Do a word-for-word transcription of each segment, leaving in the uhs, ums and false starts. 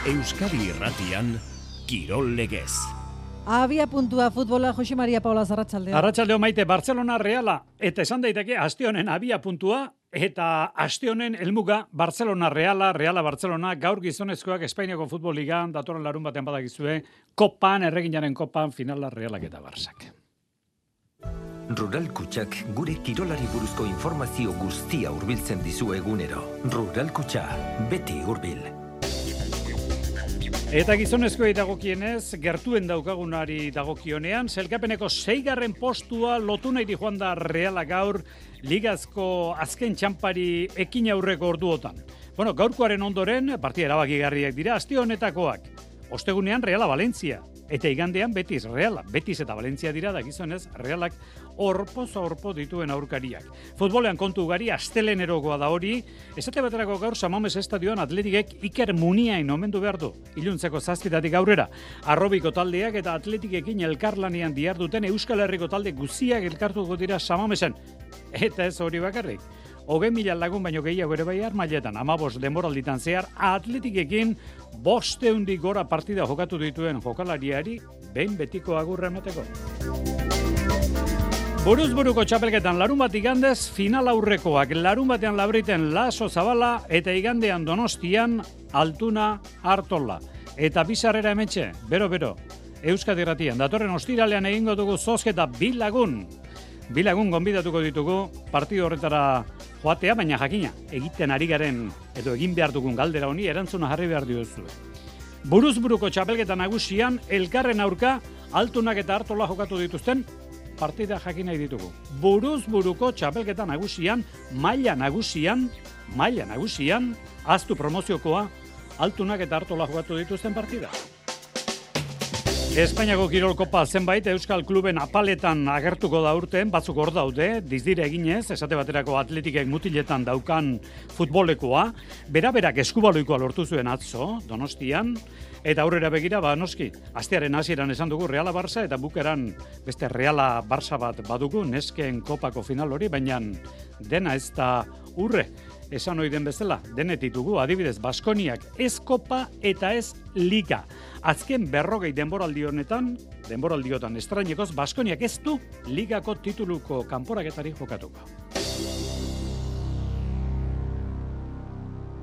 Euskadi Irratian, Kirol Legez. Abia puntua futbola, Jose Maria Paula Arratsaldeo. Arratsaldeo Maite, Barcelona Reala, eta esan daiteke aste honen abia puntua, eta aste honen helmuga Barcelona Reala, Reala Barcelona, gaur gizonezkoak Espainiako Futbol Ligan, datorren larun batean badakizue, kopan, erreginaren kopan, finala Realak eta Barsak. Rural Kutxak gure kirolari buruzko informazio guztia hurbiltzen dizu egunero. Rural Kutxa, beti hurbil. Eta gizonezkoei dagokienez, gertuen daukagunari dagokionean, zelkapeneko seigarren postua lotu nahi di joan da Reala gaur, ligazko azken txampari ekin aurreko orduotan. Bueno, gaurkoaren ondoren, partida erabakigarriak dira, aste honetakoak. Ostegunean Reala Valentzia, eta igandean Betis Reala. Betis eta Valentzia dira da gizonez Realak orpoz orpo dituen aurkariak. Futbolean kontu ugari, astelenerokoa da hori, esate baterako gaur Samames estadioan Atletikek Iker Muniain omendu behar du, iluntzeko zazpitatik aurrera. Arrobiko taldeak eta Atletikekin elkarlanean diharduten Euskal Herriko talde guziak elkartuko dira Samamesen. Eta ez hori bakarrik. Hogei mila lagun baino gehiago ere bai armailetan, amabos denboralditan zehar, Atletikekin bostehundik gora partida jokatu dituen jokalariari behin betiko agurra emateko. Buruz-buruko txapelketan larun bat igandez, final aurrekoak larun batean Labriten Laso Zabala eta igandean Donostian Altuna Artola. Eta bizarrera hementxe, bero-bero, Euskadi Irratian, datorren ostiralean egingo dugu zozketa bi lagun. Bi lagun gonbidatuko ditugu partido horretara joatea, baina jakina, egiten ari garen edo egin behar dugun galdera honi erantzuna jarri behar diozu. Buruz-buruko txapelketa nagusian, elkarren aurka, Altunak eta Artola jokatu dituzten, partida jakin nahi ditugu. Buruz-buruko txapelketa nagusian, maila nagusian, maila nagusian, aztu promoziokoa, Altunak eta Artola jokatu dituzten partida. Espainiako Kirol Kopa zenbait Euskal Kluben apaletan agertuko da urten, batzuk hor daude, dizdire eginez, esate baterako Atletikek mutiletan daukan futbolekoa, bera-berak eskubaloikoa lortu zuen atzo, Donostian, eta aurrera begira, ba noski, astearen hasieran esan dugu Reala Barça, eta bukeran beste Reala Barça bat badugu, nesken kopako final hori, baina dena ez da urre. Esan ohi den bezala, denetik dugu, adibidez, Baskoniak ez kopa eta ez liga. Azken berrogei denboraldi honetan, denboraldiotan estrainekoz, Baskoniak ez du ligako tituluko kanporaketari jokatuko.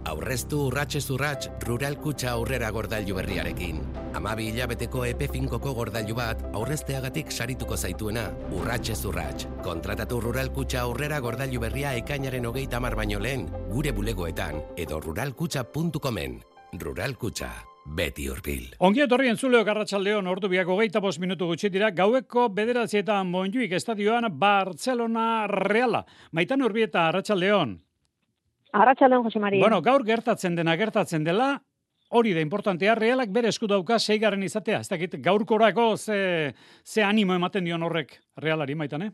Aurreztu urratxez urratx Rural Kutxa aurrera gordailu berriarekin. Amabi hilabeteko epe finkoko gordailu bat aurrezteagatik sarituko zaituena, urratxez urratx. Kontratatu Rural Kutxa aurrera gordailu berria ekainaren hogeita hamar baino lehen, gure bulegoetan, edo ruralkutxa puntu comen. Rural Kutxa, beti hurbil. Ongi etorri entzuleok arratsaldeon, ordu biak hogeita bost minutu gutxi dira, gaueko bederatzietan Montjuik estadioan Barcelona Reala. Maitan Urbieta, arratsaldeon. Arratsaldeon, Jose Maria. Bueno, gaur gertatzen dena gertatzen dela, hori da importantea, Realak bere esku dauka seigarren izatea. Ez dakit gaurkorako ze, ze animo ematen dion horrek Realari, Maitane?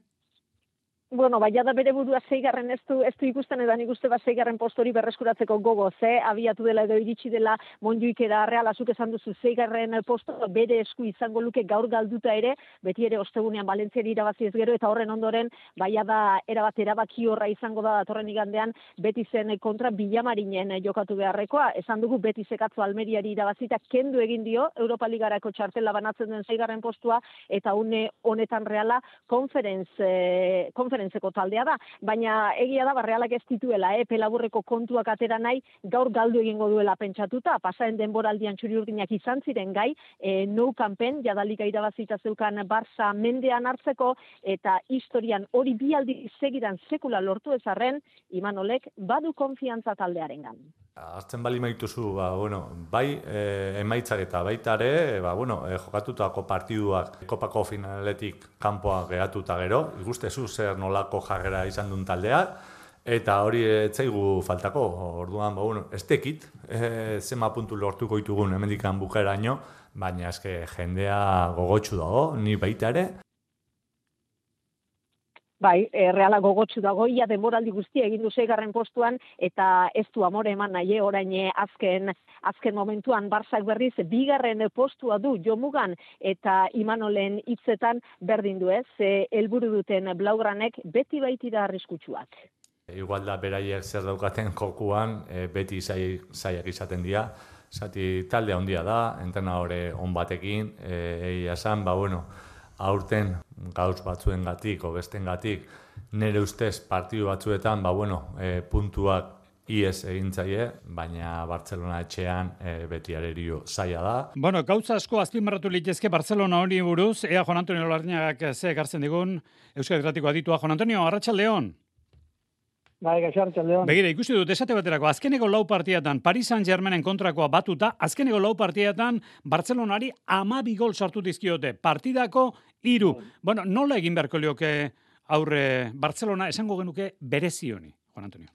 Bueno, baina da bere burua seigarren ez du, ez du ikusten edan ikuste bat seigarren postori berreskuratzeko gogo, ze abiatu dela edo iritsi dela Montjuikera Reala, zuk esan duzu seigarren posto bere esku izango luke gaur galduta ere, beti ere ostegunean Valentziari irabazi ez gero, eta horren ondoren, baina da erabat erabaki horra izango da datorren igandean Betisen kontra Bilamarinen jokatu beharrekoa, esan dugu Betisek atzo Almeriari irabazita kendu egin dio Europa Ligarako txartela banatzen den seigarren postua, eta une honetan Reala konferenz, eh, konferentzeko taldea da, baina egia da Realak ez dituela, eh, pelaburreko kontuak atera nahi, gaur galdu egingo duela pentsatuta, pasaren denboraldian txuri-urdinak izan ziren gai, eh, nou kanpen, jadalika irabazita zeukan Barça mendean hartzeko, eta historian hori bi aldi segidan sekula lortu ezarren, Imanolek badu konfiantza taldearengan. Hartzen bali maituzu, ba, bueno, bai e, emaitzak eta baita ere, ba, bueno, e, jokatutako partiduak kopako finaletik kanpoa geratuta gero, ikustezu zer nolako jarrera izan duen taldeak, eta hori etzaigu faltako, orduan, ba, bueno, ez tekit, e, zema puntu lortuko ditugun hemendikan bukeraino, baina eske jendea gogotsu dago, ni baita ere. Bai, e, Reala gogotsu dago, ia denboraldi guztia egin du seigarren postuan, eta ez du amore eman nahi, orain azken, azken momentuan Barçak berriz, bigarren postua du jomugan, eta Imanolen hitzetan berdin du ez, e, helburu duten blaugranek beti baitira arriskutsuak. Igual da beraiek zer daukaten jokuan, e, beti zaiak izaten dira, zati talde handia da, entrenadore on batekin, egia esan, ba, bueno, aurten gauz batzuengatik, o bestengatik, nire ustez partidu batzuetan, ba, bueno, e, puntuak ies egintzaile, baina Bartzelona etxean e, beti arerio zaila da. Bueno, gauza asko azpimarratu litezke Barcelona hori buruz, ea Juan Antonio Larrañagak ze ekartzen digun, Euskal Herratiko aditua. Juan Antonio, arratsaldeon. Bai, gaixo arratsaldeon. Begira, ikusi dut, esate baterako, azkeneko lau partiatan, Paris Saint-Germainen kontrakoa batuta, azkeneko lau partiatan, Barcelonari hamabi gol sartu dizkiote, partidako hiru. Bueno, nola egin beharko lioke aurre Barcelona, esango genuke berezi honi, Juan Antonio?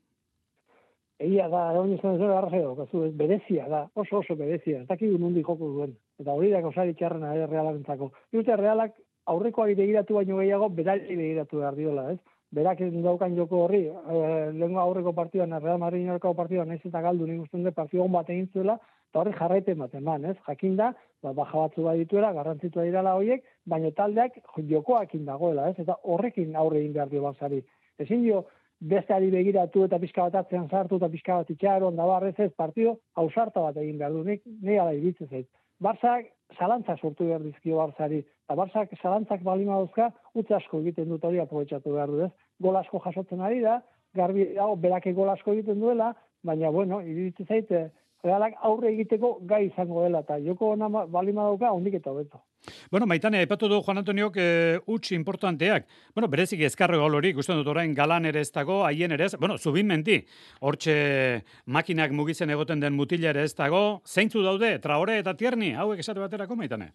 Egia da, egon izan zuen arrazio, kasu, berezia da, oso oso berezia, ez dakigu nundi joko duen. Eta hori da gauzari txarrena ere Realarentzako. Dute Realak aurrekoari begiratu baino gehiago, berari begiratu behar diola, ez? Berak daukan joko horri, e, lehenko aurreko partioan, Real Madrid aurreko partioan, nahiz eta galdu nik usten de partio hon bat egin zuela, eta horri jarraiten bat eman, ez? Jakinda, ba, baja batzu bat dituela, garrantzitua dirala horiek, baina taldeak jokoakin dagoela, ez? Eta horrekin aurre egin behar dio Barzari. Ezin dio, besteari begiratu eta pixka bat atzean sartu eta pixka bat itxaron, da barrez ez, partido ausarta bat egin behar du, nik nire ala iritzen zait. Barzak zalantzak sortu behar dizkio Barzari, eta Barzak zalantzak balima dauzka, utz asko egiten dut hori aprobetxatu behar du, ez? Gol asko jasotzen ari da, garbi dago, berake gol asko egiten duela, baina, bueno, iritzen zait, Realak aurre egiteko gai izango dela, eta joko ona balima dauka, hondik eta hobeto. Bueno, Maitane, aipatu du Juan Antoniok e, utz importanteak. Bueno, berezik ezkarro gol hori, ikusten dut orain galan ere ez dago, haien ere ez, bueno, zubin menti, hortxe makinak mugitzen egoten den mutila ere ez dago, zeintzu daude, Traore eta Tierney, hauek esate baterako, Maitane?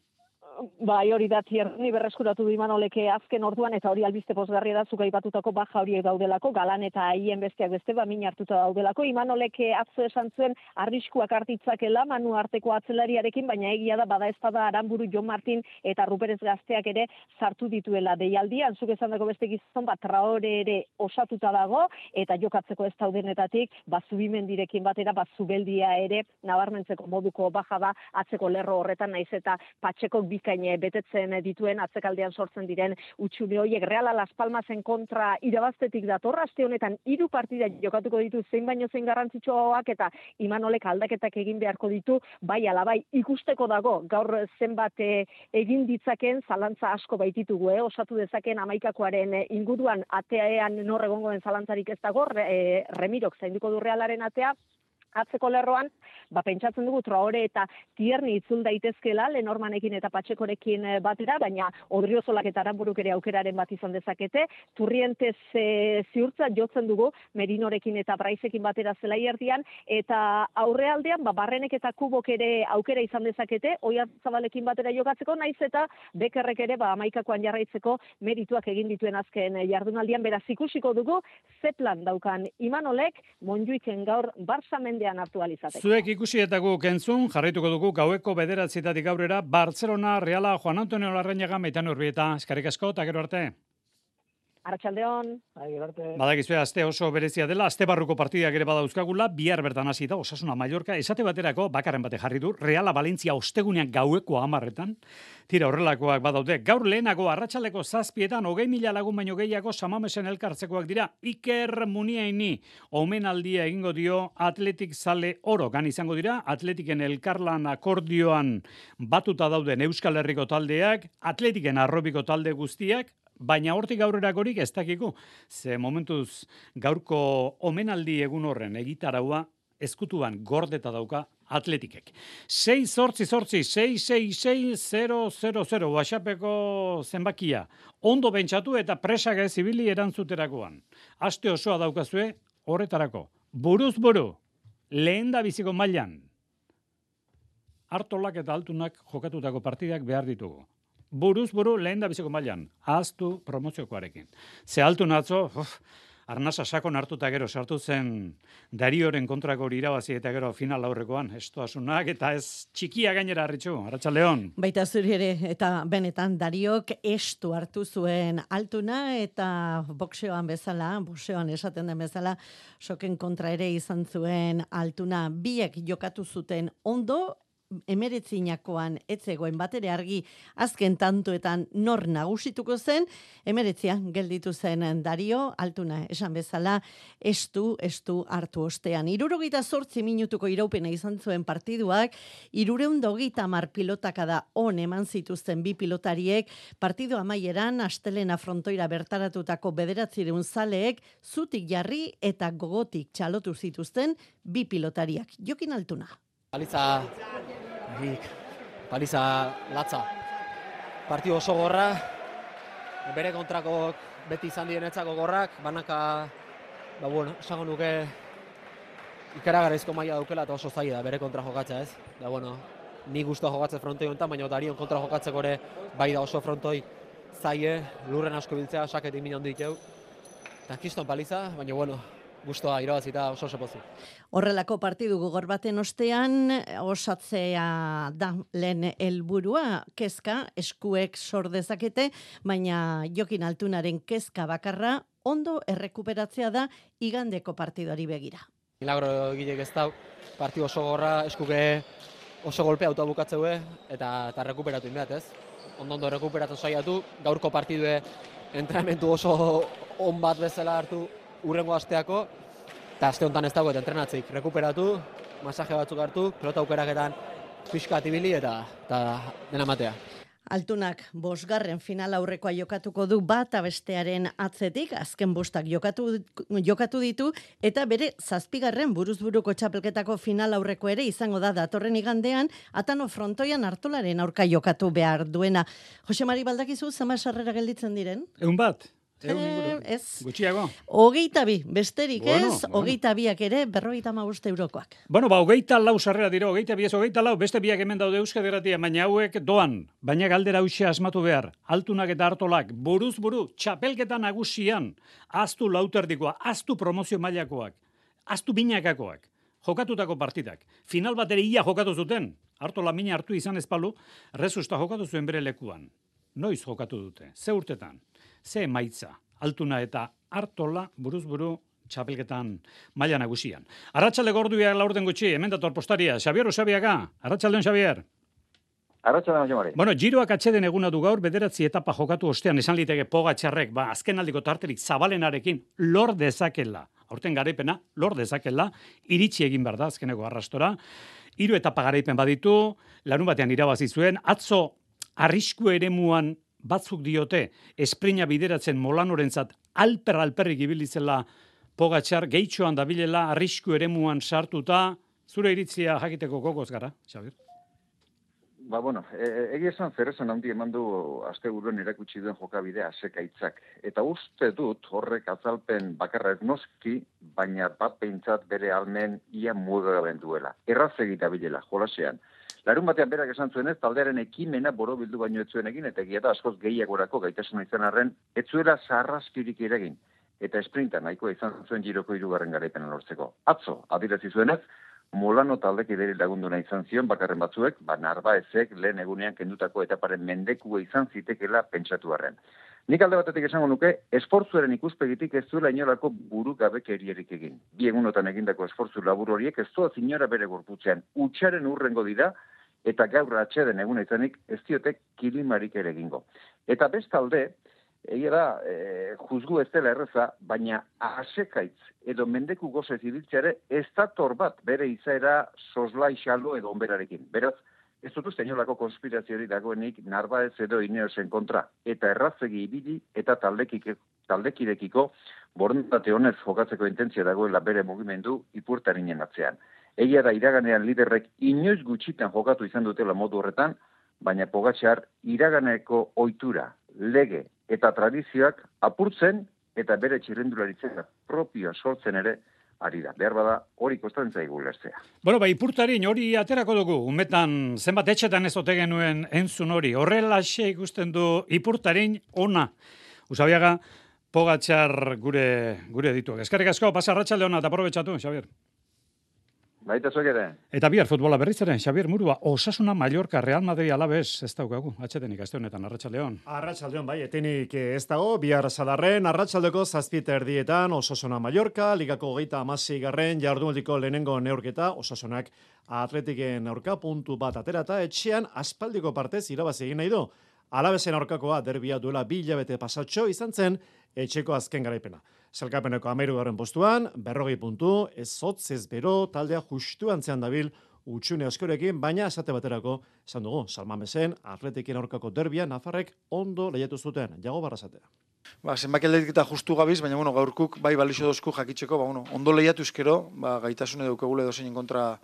Bai, hori da Tierney berreskuratu du Imanoleke azken orduan, eta hori albiste pozgarria da zuk aipatutako baja horiek daudelako, galan eta haien besteak beste ba min hartuta daudelako. Imanoleke atzo esan zuen arriskuak hartitzakela Manu arteko atzelariarekin, baina egia da bada espada Aranburu, Jon Martin eta Ruperez Gazteak ere sartu dituela deialdian. Zuk esandako beste gizon bat Traore ere osatuta dago eta jokatzeko ez daudenetatik ba Zubimendirekin batera ba Zubeldia ere nabarmentzeko moduko baja da atzeko lerro horretan, naiz eta Patxekok bikaine betetzen dituen atzekaldean sortzen diren utxune horiek. Reala Las Palmasen kontra irabaztetik dator, aste honetan hiru partida jokatuko ditu zein baino zein garrantzitsuagoak eta Imanolek aldaketak egin beharko ditu, bai ala bai ikusteko dago gaur zenbat egin ditzaken, zalantza asko baititugu, eh? Osatu dezaken hamaikakoaren inguruan ateaean nor egongo den zalantzarik ez dago, e, Remirok zainduko du Realaren atea, atzeko lerroan, ba pentsatzen dugu Traore eta Tierney itzul daitezkela Lenormanekin eta Patxekorekin batera, baina Odriozolak eta Aranburuk ere aukeraren bat izan dezakete. Turrientez e, ziurtza jotzen dugu Merinorekin eta Braizekin batera zelaierdian, eta aurrealdean ba Barrenek eta Kubok ere aukera izan dezakete Oiartzabalekin batera jokatzeko, naiz eta Bekerrek ere ba hamaikakoan jarraitzeko merituak egin dituen azken jardunaldian. Beraz ikusiko dugu ze plan daukan Imanolek Monjuiken gaur Barça mendean hartu alizateko. Zuek ikusi eta guk entzun, jarraituko dugu gaueko bederatzietatik aurrera, Barcelona, Reala, Juan Antonio Larrañaga, Maitane Urbieta, eskerrik asko, eta gero arte. Arratsaldeon. Badakizue aste oso berezia dela, aste barruko partidak ere badauzkagula, bihar bertan hasi da, Osasuna Mallorca, esate baterako bakarren bate jarri du, Reala Valentzia ostegunean gaueko hamarretan, tira horrelakoak badaude, gaur lehenago arratsaleko zazpietan, hogei mila lagun baino gehiago Samamesen elkartzekoak dira, Iker Muniaini, omenaldia egingo dio Atletik Zale Oro, gan izango dira, Atletiken elkarlan akordioan batuta dauden Euskal Herriko taldeak, Atletiken arrobiko talde guztiak, baina hortik aurrerakorik ez dakiku. Ze momentuz gaurko omenaldi egun horren egitaraua ezkutuan gordeta dauka Atletikek. sei zortzi zortzi, sei sei sei, zero zero zero, WhatsAppeko zenbakia. Ondo bentsatu eta presak ez ibili erantzuterakoan. Aste osoa daukazue horretarako. Buruz buru, lehen da biziko mailan. Artolak eta Altunak jokatutako partidak behar ditugu. Buruz buru lehen da biziko mailan, ahaztu promoziokoarekin. Ze Altun atzo, uf, arnasa sakon hartuta gero sartu zen Darioren kontrako irabazi eta gero final aurrekoan, estoasunak eta ez txikia gainera harritxu, Arratsaldeon. Baita zuri ere, eta benetan Dariok estu hartu zuen Altuna eta boxeoan bezala, boxeoan esaten den bezala, soken kontra ere izan zuen Altuna, biek jokatu zuten ondo, emeretzinakoan etzegoen batere argi azken tantoetan nor nagusituko zen, emeretzian gelditu zen Dario, Altuna esan bezala, estu, estu hartu ostean. Hirurogeita zortzi minutuko iraupena izan zuen partiduak, hirureun hogeita hamar pilotakada on eman zituzten bi pilotariek, partidu amaieran astelena frontoira bertaratutako bederatzireun zaleek zutik jarri eta gogotik txalotu zituzten bi pilotariak. Jokin Altuna. Paliza, paliza latza. Partidu oso gorra, bere kontrako beti izan dienetzako gorrak, banaka, ba bueno, esango nuke ikaragarrizko maila daukela eta oso zaila da bere kontra jokatza, ez? Da bueno, ni guztua jokatzen frontoi honetan, baina Darion kontra jokatzeko ere bai da oso frontoi zaie, lurren asko biltzea, saketik min handik jau. Eta kiston paliza, baina bueno, guztua irabazita oso oso pozik. Horrelako partidu gogor baten ostean, osatzea da lehen helburua, kezka, eskuek sor dezakete, baina Jokin Altunaren kezka bakarra ondo errekuperatzea da igandeko partiduari begira. Milagro egilek ez dau, partidu oso gorra, eskuke oso golpea auto bukatzeue eta eta rekuperatu inbeat, ez? Ondo ondo rekuperatzen saiatu, gaurko partidue entrenamentu oso on bat bezala hartu urrengo asteako, eta aste honetan ez dagoet entrenatzik, rekuperatu, masaje batzuk hartu, pelota aukeraketan pixka atibili eta, eta dena matea. Altunak bosgarren final aurrekoa jokatuko du bata bestearen atzetik, azken bostak jokatu, jokatu ditu, eta bere zazpigarren buruzburuko txapelketako final aurreko ere izango da datorren igandean, Atano frontoian Artolaren aurka jokatu behar duena. Jose Mari baldakizu, zama sarrera gelditzen diren? Egun bat? Eh, ez. Gutxiago? Hogeita bi, besterik bueno, ez, bueno. hogeita biak ere, berrogeita hamabost eurokoak. Bueno, ba, hogeita lau sarrera dira, hogeita bi ez, hogeita lau, beste biak hemen daude Euskadi Irratia, baina hauek doan, baina galdera hauxe asmatu behar, Altunak eta Artolak, buruz buru, txapelketa nagusian, aztu lauterdikoa, aztu promozio mailakoak, aztu binakakoak, jokatutako partidak. Final bat ere ia jokatu zuten, Artola mina hartu izan ezpalu, Rezusta jokatu zuen bere lekuan. Noiz jokatu dute, ze urtetan, ze emaitza, Altuna eta Artola buruz-buru txapelketan maila nagusian. Arratsalde gorduak laurden gutxi, hemen dator postaria, Xabier Usabiaga, arratsaldeon Xabier. Arratsaldeon Jomari. Bueno, giroak atxeden eguna du gaur, bederatzi etapa jokatu ostean esan liteke Pogačarrek, ba, azken aldiko tarterik zabalenarekin lor dezakela, aurten garaipena, lor dezakela, iritsi egin behar da azkeneko arrastora, hiru etapa garaipen baditu, larun batean irabazi zuen, atzo arrisku eremuan batzuk diote, esprina bideratzen Molanorentzat alper-alperrik ibilizela Pogačar, gehitxoan dabilela arrisku eremuan sartuta, zure iritzia jakiteko gogoz gara, Xabier? Ba, bueno, e, egia esan zeresan handi eman du aste buruan erakutsi duen jokabidea sekaitzak. Eta uste dut horrek azalpen bakarra ez noski, baina bat behintzat bere almen ia mugaben duela. Erraz egita bilela, jolasean. Larun batean berak esan zuen ez, taldearen ekimena borobildu baino ez zuen egin, eta egia da askoz gehiagorako gaitasuna izan arren, ez zuela sarraskirik iregin, eta esprinta nahikoa izan zuen giroko hirugarren garaipena lortzeko. Atzo, adierazi zuenez, Molano taldek ideri lagunduna izan zion bakarren batzuek, ba Narbaezek lehen egunean kendutako etaparen mendekua izan zitekela pentsatu arren. Nik alde batetik esango nuke, esfortzuaren ikuspegitik ez zuela inolako burugabekerierik egin. Bi egunotan egindako esfortzu labur horiek ez doaz inora bere gorputzean, utxaren urrengo dira, eta gaur atxeden egun izanik ez diotek kilimarik ere egingo. Eta bestalde, egia da, e, juzgu ez dela erreza, baina asekaitz edo mendeku gozez ibiltzeare ez dator bat bere izaera soslai xalo edo onberarekin. Beraz, ez dut uste inolako konspiraziori dagoenik Narbaez edo Ineosen kontra, eta errazegi ibili eta taldekik, taldekirekiko borondate honez jokatzeko intentzia dagoela bere mugimendu ipurtarinen atzean. Egia da iraganean liderrek inoiz gutxitan jokatu izan dutela modu horretan, baina Pogačar iraganeko ohitura, lege eta tradizioak apurtzen eta bere txirrendularitzea propioa sortzen ere ari da. Behar bada hori kostatzen zaigu ulertzea. Bueno, ba, ipurtarin hori aterako dugu, umetan zenbat etxetan ez ote genuen entzun hori. Horrelaxe ikusten du ipurtarin ona. Usabiaga, Pogačar gure gure dituak. Eskerrik asko, pasa arratsalde ona eta aprobetxatu, Xabier. Baita zuek ere. Eta bihar futbola berriz ere, Xabier Murua, Osasuna, Mallorca, Real Madrid Alaves, ez daukagu, atxetenik, aste honetan, Arratsaldeon. Arratsaldeon, bai, etenik ez dago, bihar sadarren, arratsaldeko zazpita erdietan, Osasuna Mallorca, ligako hogeita hamasei garren, jardunaldiko lehenengo neurketa, Osasunak Atletiken aurka puntu bat aterata, etxean aspaldiko partez irabazi egin nahi du. Alavesen aurkakoa derbia duela bi hilabete pasatxo izan zen, etxeko azken garaipena. Sailkapeneko hamahirugarren postuan, berrogei puntu, ez hotz ez bero, taldea justu antzean dabil utxune askorekin, baina esate baterako, esan dugu, Salmamesen, Atletiken aurkako derbia, Nafarrek ondo lehiatu zuten, Jago Barrasatea. Ba, zenbaki aldetik justu gabiz, baina bueno, gaurkuk bai balixo dozku jakitzeko, ba, bueno, ondo lehiatu ezkero, ba, gaitasune daukagule dozein kontra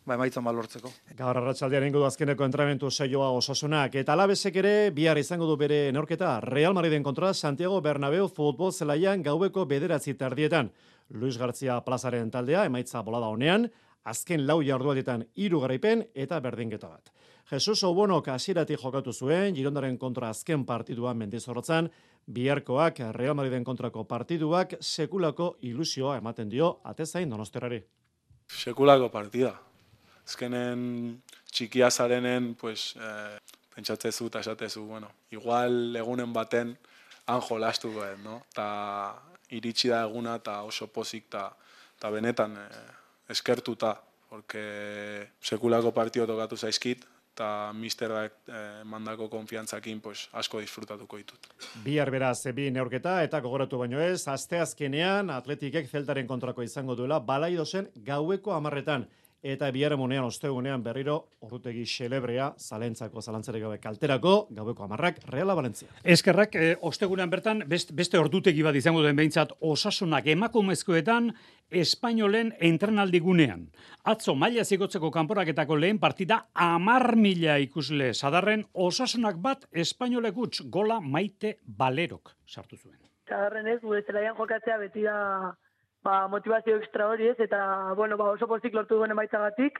ba, emaitzan balortzeko. Gaur arratsaldean ingo du azkeneko entrenamendu saioa Osasunak, eta Alavesek ere bihar izango du bere neurketa Real Madriden kontra Santiago Bernabéu futbol zelaian gaueko bederatzi tardietan. Luis García plazaren taldea emaitza bolada honean, azken lau jardualdietan hiru garaipen eta berdinketa bat. Jesus Obonok hasieratik jokatu zuen, Girondaren kontra azken partidua Mendizorrotzan, biharkoak Real Madriden kontrako partiduak sekulako ilusioa ematen dio atezain Donostiarrari. Sekulako partida. Azkenen txikia zarenen, pues, eh, pentsatzezu eta esatezu, bueno, igual egunen baten han jolastu behar, no? Ta iritsi da eguna eta oso pozik eta benetan eh, eskertuta, porque sekulako partido tokatu zaizkit, eta misterrak eh, mandako konfiantzakin pues, asko disfrutatuko ditut. Bihar beraz, bi neurketa eta gogoratu baino ez, asteazkenean Atletikek Zeltaren kontrako izango duela Balaidosen gaueko hamarretan. Eta biharamunean, ostegunean berriro, orrutegi xelebrea, zalentzako, zalantzarek gabe kalterako, gaueko hamarrak, Reala Valentzia. Eskerrak, e, ostegunean bertan, best, beste ordutegi bat izango den behintzat, Osasunak emakumezkoetan, Espainolen entrenaldigunean. Atzo, maila zigotzeko kanporaketako lehen partida, amar mila ikusle sadarren, Osasunak bat, Espainolek utz, gola Maite Balerok sartu zuen. Sadarren ez, gure zelaian jokatzea beti da... Ba, motivazio ekstra hori ez, eta bueno, ba, oso pozik lortu duen emaitzagatik,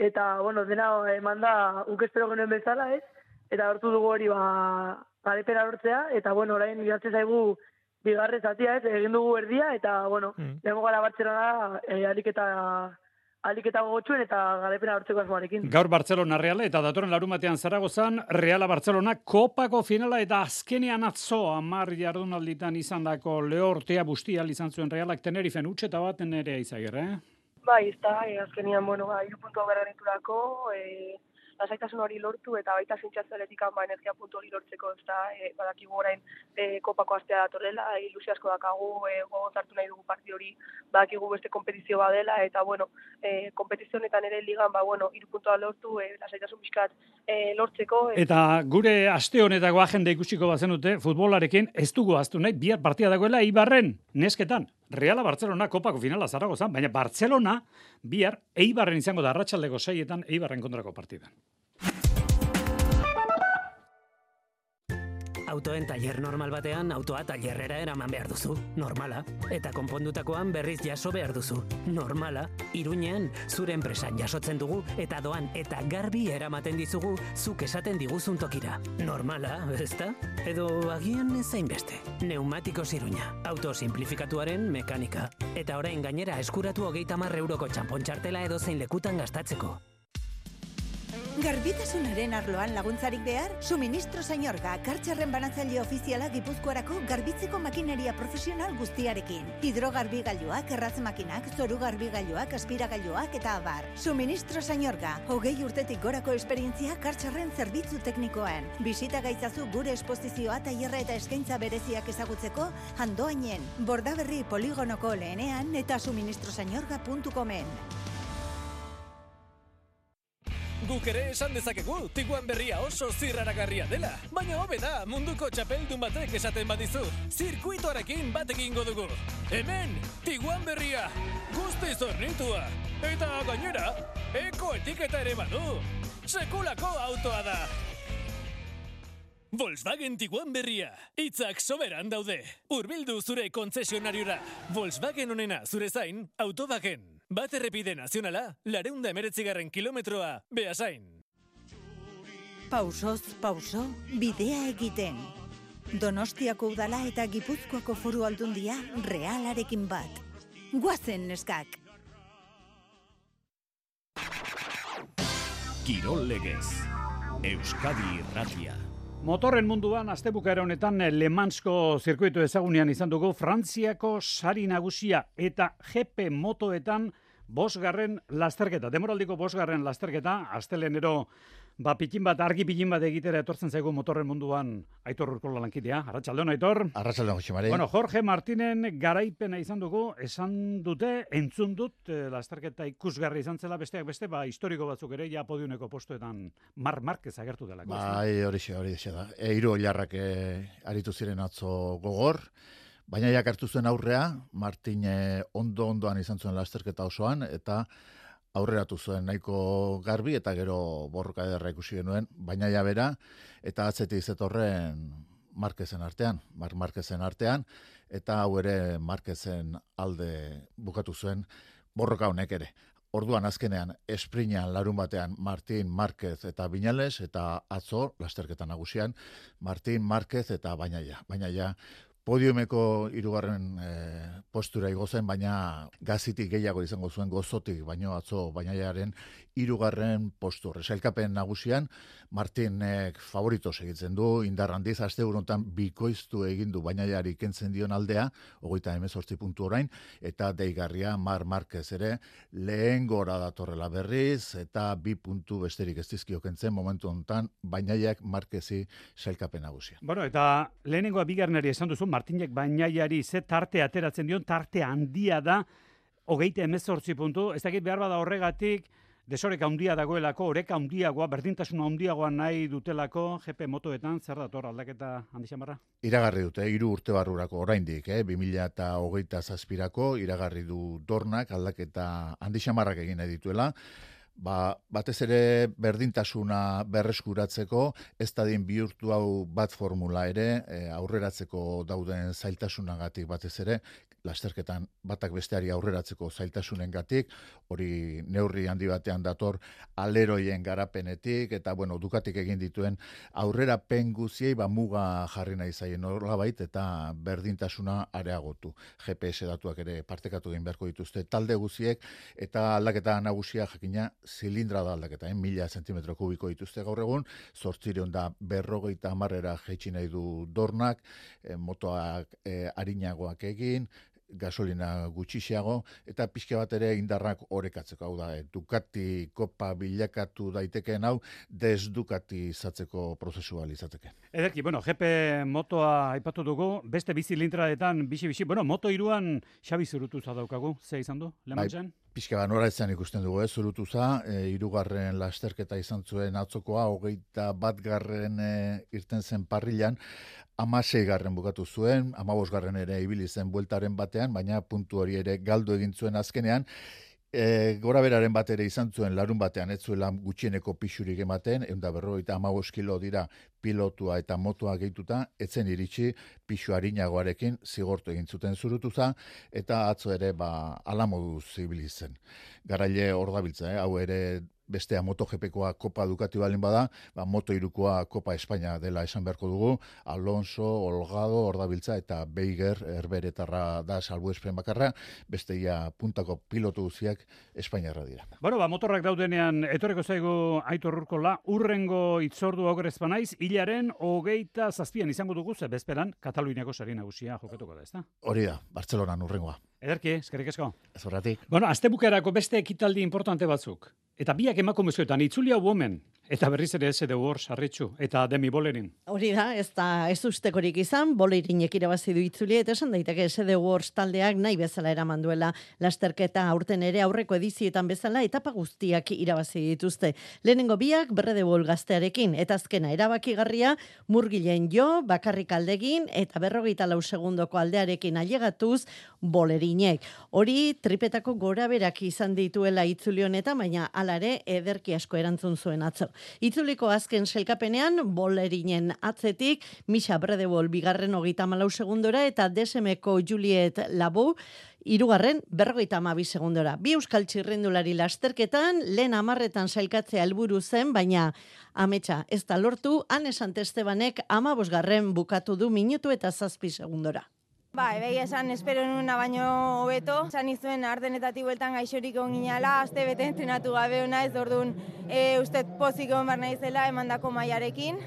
eta bueno, dena eman da ukespero genuen bezala ez, eta lortu dugu hori ba, garepena lortzea, eta bueno, orain idatzen zaigu bigarren zatia ez, egin dugu erdia, eta bueno, mm. lehenko gara Bartzelona e, alik eta alik eta gogotxuen eta garepena lortzeko asmoarekin. Gaur Bartzelona Reala eta datorren larumatean Zaragozan, Reala Bartzelona kopako finala eta azkenean atzo hamar jardunalditan izandako lehortea bustia izan zuen Realak Tenerifen utxeta baten ere izagir, eh? Bai, ez da, e, azkenian, bueno, ba, hiru puntu berreniturako, e, lasaitasun hori lortu eta baita zintxatzeletik ba, energia puntu hori lortzeko, ez da, e, badakigu orain e, kopako astea datorrela, e, ilusio asko dakagu, e, gogoz hartu nahi dugu parti hori, badakigu beste kompetizio badela, eta, bueno, e, kompetizionetan ere ligan, ba, bueno, hiru puntua lortu, e, lasaitasun bizkat e, lortzeko. E. Eta gure aste honetako agenda ikusiko bazenute, futbolarekin ez dugu aztu nahi, bihar partia dagoela Eibarren, nesketan. Reala Bartzelona kopako finala Zaragozan, baina Bartzelona bihar Eibarren izango da arratsaldeko seietan Eibarren kontrako partidan. Autoen tailer normal batean autoa tailerrera eraman behar duzu, normala. Eta konpondutakoan berriz jaso behar duzu, normala. Iruñean zure enpresan jasotzen dugu eta doan eta garbi eramaten dizugu zuk esaten diguzun tokira. Normala, ezta? Edo agian ezain beste. Neumatikos Iruña, auto simplifikatuaren mekanika. Eta orain gainera eskuratu hogeita hamar euroko txanpontxartela edo zein lekutan gastatzeko. Garbitasunaren arloan laguntzarik behar? Suministro Sañorga, kartxarren banatzaile ofiziala Gipuzkoarako garbitzeko makineria profesional guztiarekin. Hidrogarbigailuak, erraz makinak, zoru garbigailuak, aspiragailuak eta abar. Suministro Sañorga, hogei urtetik gorako esperientzia kartxarren zerbitzu teknikoan. Bisita gaitzazu gure esposizioa, tailerra eta eskaintza bereziak ezagutzeko Andoainen, Bordaberri poligonoko lehenean eta suministrosañorga puntu comen. Guk ere esan dezakegu, Tiguan berria oso zirraragarria dela. Baina hobe da, munduko txapeldun batek esaten badizu. Zirkuitoarekin bat egingo dugu. Hemen, Tiguan berria, guztiz hornitua. Eta gainera, eko etiketa ere badu. Sekulako autoa da. Volkswagen Tiguan berria. Hitzak soberan daude. Hurbildu zure kontzesionariora. Volkswagen onena zure zain, Autowagen. Bat errepide nazionala, lareunda emeretzigarren kilometroa, Beasain. Pausoz, pauso, bidea egiten. Donostiako udala eta Gipuzkoako foru aldundia Realarekin bat. Guazen neskak! Kirol legez. Euskadi Irratia. Motorren munduan astebukaera honetan Le Mansko zirkuitu ezagunean izan dugu Frantziako sari nagusia eta G P motoetan bosgarren lasterketa. Demoraldiko bosgarren lasterketa, astelenero ba pikin bat, argi pikin bat egitera etortzen zaigu motorren munduan Aitor Urkola lankidea. Arratsaldeon, Aitor. Arratsaldeon, Jose Mari. Bueno, Jorge Martinen garaipena izan dugu, esan dute, entzun dut, eh, lasterketa ikusgarri izan zela, besteak beste, ba, historiko batzuk ere, ja podiuneko postuetan Mar Marquez agertu dela. Bai, hori xe, hori xe da. E, hiru oilarrak e, aritu ziren atzo gogor, baina jak hartu zuen aurrea, Martin e, ondo-ondoan izan zuen lasterketa osoan, eta aurreratu zuen nahiko garbi, eta gero borroka ederra ikusi genuen, baina ja bera, eta atzetik zetorren Marquezen artean, Mar Marquezen artean, eta hau ere Marquezen alde bukatu zuen borroka honek ere. Orduan azkenean, esprinean larun batean Martin Marquez eta Viñales, eta atzo, lasterketa nagusian, Martin Marquez eta Bainaia. Bainaia, podiumeko hirugarren e, postura igo zen, baina gazitik gehiago izango zuen gozotik, baino atzo Bainaiaren hirugarren postur. Sailkapen nagusian, Martinek favorito segitzen du, indar handiz, aste honetan bikoiztu egin du Bainaiari kentzen dion aldea, hogeita hemezortzi puntu orain, eta deigarria Mar Marquez ere lehen gora datorrela berriz, eta bi puntu besterik ez dizkio kentzen momentu honetan, Bainaiak Marquezi sailkapen nagusia. Bueno, eta lehenengoa bigarrenari esan duzu, Martinek Bainaiari ze tarte ateratzen dion, tarte handia da, hogeita hemezortzi puntu, ez dakit behar bada horregatik, desoreka handia dagoelako, oreka handiagoa, berdintasuna handiagoa nahi dutelako G P motoetan, zer dator aldaketa handi xamarra? Iragarri dute, hiru urte barrurako oraindik, eh? bi mila hogeita zazpirako, iragarri du Dornak aldaketa handi xamarrak egin nahi dituela, ba, batez ere berdintasuna berreskuratzeko, ez dadin bihurtu hau bat formula ere, e, aurreratzeko dauden zailtasunagatik batez ere, lasterketan batak besteari aurreratzeko zailtasunengatik, hori neurri handi batean dator aleroien garapenetik, eta bueno, Ducatik egin dituen aurrerapen guziei ba muga jarri nahi zaien nolabait, eta berdintasuna areagotu. G P S datuak ere partekatu egin beharko dituzte talde guziek, eta aldaketa nagusia jakina zilindra da aldaketa, eh? mila zentimetro kubiko dituzte gaur egun, zortzireun da berrogeita hamarrera jaitsi nahi du Dornak, eh, motoak eh, arinagoak egin, gasolina gutxixiago, eta pixka bat ere indarrak orekatzeko, hau da, Ducati kopa bilakatu daitekeen hau, desdukati izatzeko prozesua izateke. Ederki, bueno, G P motoa aipatu dugu, beste bizilintraetan, bixi-bixi, bueno, moto iruan Xabi Zurutuza daukagu, ze izan du, lemantzen? Bai, pixka bat nora izan ikusten dugu, eh? Zurutuza, e, irugarren lasterketa izan zuen atzokoa, hogeita bat garren e, irten zen parrilan, amasei garren bukatu zuen, amabos garren ere ibili zen bueltaren batean, baina puntu hori ere galdu egin zuen azkenean, e, gora beraren bat ere izan zuen larun batean, ez zuela gutxieneko pixurik ematen, ehun eta berrogeita hamabost kilo dira pilotua eta motoa gehituta, etzen iritsi pixu arinagoarekin zigortu egin zuten Zurutuza, eta atzo ere ba, alamoduz ibili zen. Garaile hor dabiltza, eh? hau ere bestea MotoGPkoa Kopa Ducati balin bada, ba, Moto irukoa Kopa Espainia dela esan beharko dugu, Alonso, Olgado, Ordabiltza eta Beiger erberetarra da salbuespen bakarra, besteia puntako pilotu guziak Espainiarra dira. Bueno, ba, motorrak daudenean, etorreko zaigu Aitor Urkola, urrengo itzordu aurrez banaiz, hilaren hogeita zazpian izango dugu, ze bezperan, Kataluniako sari nagusia jokatuko da, ezta? Hori da, Bartzelonan urrengoa. Ederki, eskerrik asko. Ez horretik. Bueno, astebukerako beste ekitaldi importante batzuk. Eta biak emakumezkoetan, itzuli hau women, eta berriz ere ez edo hor sarritxu, eta Demi Bolerin. Hori da, ez da ez ustekorik izan, Bolerinek irabazi du itzuli, eta esan daiteke S D Wars taldeak nahi bezala eraman duela lasterketa aurten ere aurreko edizietan bezala etapa guztiak irabazi dituzte. Lehenengo biak Berrede Bol gaztearekin, eta azkena erabakigarria Murgilen Jo, bakarrik aldegin, eta berrogeita lau segundoko aldearekin ailegatuz Bolerinek. Hori tripetako gora berak izan dituela itzuli honetan, baina alare ederki asko erantzun zuen atzo. Itzuliko azken selkapenean, Bolerinen atzetik, Misha Bredebol bigarren hogeita malau segundora, eta D S M-ko Juliet Labou, hirugarren berrogeita hamabi segundora. Bi euskal txirrindulari lasterketan, lehen hamarretan sailkatzea helburu zen, baina ametsa ez da lortu, Ane Santestebanek hamabosgarren bukatu du minutu eta zazpi segundora. Ba, ebai esan espero nuena baino hobeto. Esan izuen ardenetatik bueltan gaixorik onginala, aste bete entrenatu gabe hona ez, orduan e, uste pozik egon behar naizela emandako mailarekin.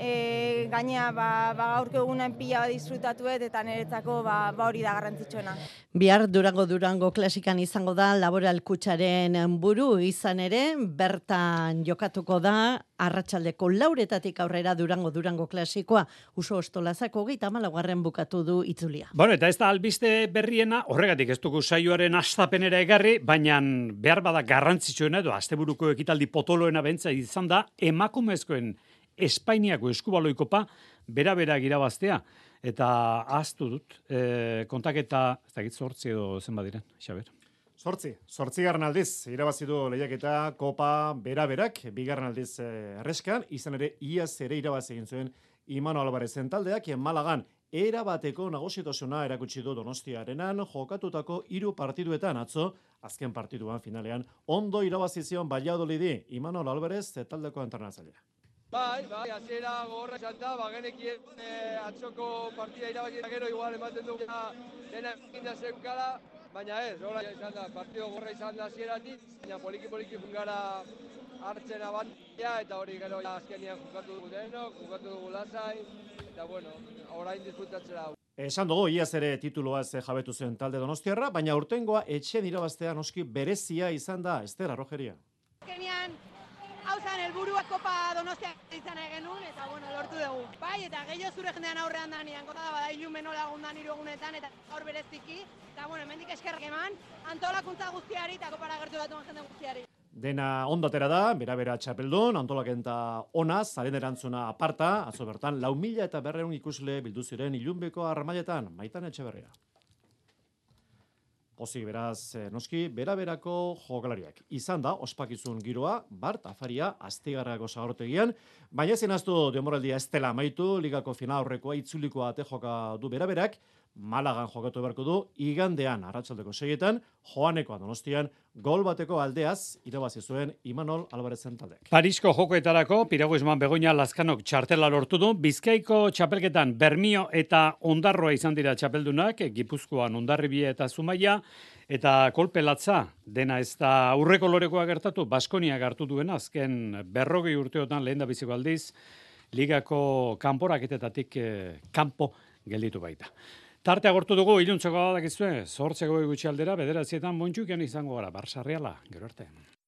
E, gaina ba, ba, gaurko egunan pila bat disfrutatuet eta niretzako ba, ba hori da garrantzitsuena. Bihar Durango Durango klasikan izango da Laboral Kutxaren buru izan ere, bertan jokatuko da arratsaldeko lauretatik aurrera Durango Durango klasikoa Uso Ostolazako hogeita hamalaugarren bukatu du itzulia. Bueno, eta ez da albiste berriena, horregatik ez dugu saioaren hastapenera egarri, baina behar bada garrantzitsuena edo asteburuko ekitaldi potoloena bentza izan da emakumezkoen Espainiako eskubaloikopa bera-bera girabaztea. Eta ahaztu dut, e, kontaketa, ez dakit zortzi edo zenbat diren, Xaber? Zortzi, zortzigarren aldiz, irabazi du lehiaketa kopa bera-berak, bigarren aldiz erreskan, izan ere iaz ere irabazi egin zuen Imano Albarezen taldeak, Malagan erabateko nagusitasuna erakutsi du Donostiarenan jokatutako hiru partiduetan atzo, azken partiduan finalean, ondo irabazi zion Valladolidi, Imano Albarez taldeko entrenatzailea. Bai, bai, hasiera gogorra izan da, ba, genekien e, atzoko partida irabazi gero igual ematen dugu dena eginda zeukala, baina ez, hola izan da, partido gogorra izan da hasieratik, baina poliki-poliki fungara hartzen abantia, eta hori gero azkenian jokatu dugu denok, jokatu dugu lasai, eta bueno, orain disfrutatzera hau. Esan dugu, iaz ere tituloaz jabetu zen talde Donostiarra, baina urtengoa etxen irabaztea noski berezia izan da, Ester Arrojeria. Azkenian, hau zan, helburua kopa Donostia izan genuen, eta bueno, lortu dugu. Bai, eta gehiago zure jendean aurrean da nian, kota da, bada ilumeno lagundan hiru egunetan, eta gaur bereziki, eta bueno, hemendik eskerrak eman, antolakuntza guztiari, eta kopara gertu datuan jende guztiari. Dena ondatera da, bera-bera txapeldun, antolakenta onaz, zaren erantzuna aparta, atzo bertan, lau mila eta berreun ikusle bildu ziren ilunbeko armailetan, Maitan Etxeberria. Pozik beraz, noski, bera-berako jokalariak. Izan da, ospakizun giroa, Bart Afaria, Astigarrako zagortegian, baina ezin aztu denboraldia ez dela amaitu, ligako final aurrekoa itzulikoa ate joka du bera-berak, Malagan jokatu beharko du, igandean, arratsaldeko seietan, Joanekoa Donostian, gol bateko aldeaz, irabazi zuen Imanol Albarezen taldek. Parisko jokoetarako, Piraguismoan Begoña Lazkanok txartela lortu du, Bizkaiko txapelketan Bermio eta Ondarroa izan dira txapeldunak, Gipuzkoan Hondarribia eta Zumaia, eta kolpe latza, dena ez da aurreko lorekoa gertatu, Baskonia hartu duena, azken berrogei urteotan lehen da biziko aldiz, ligako kanporaketetatik eh, kanpo gelditu baita. Tarte agortu dugu, iluntzeko dakizue, zortzeko gutxi aldera, bederatzietan montxukian izango gara, Barsarriala, gero arte.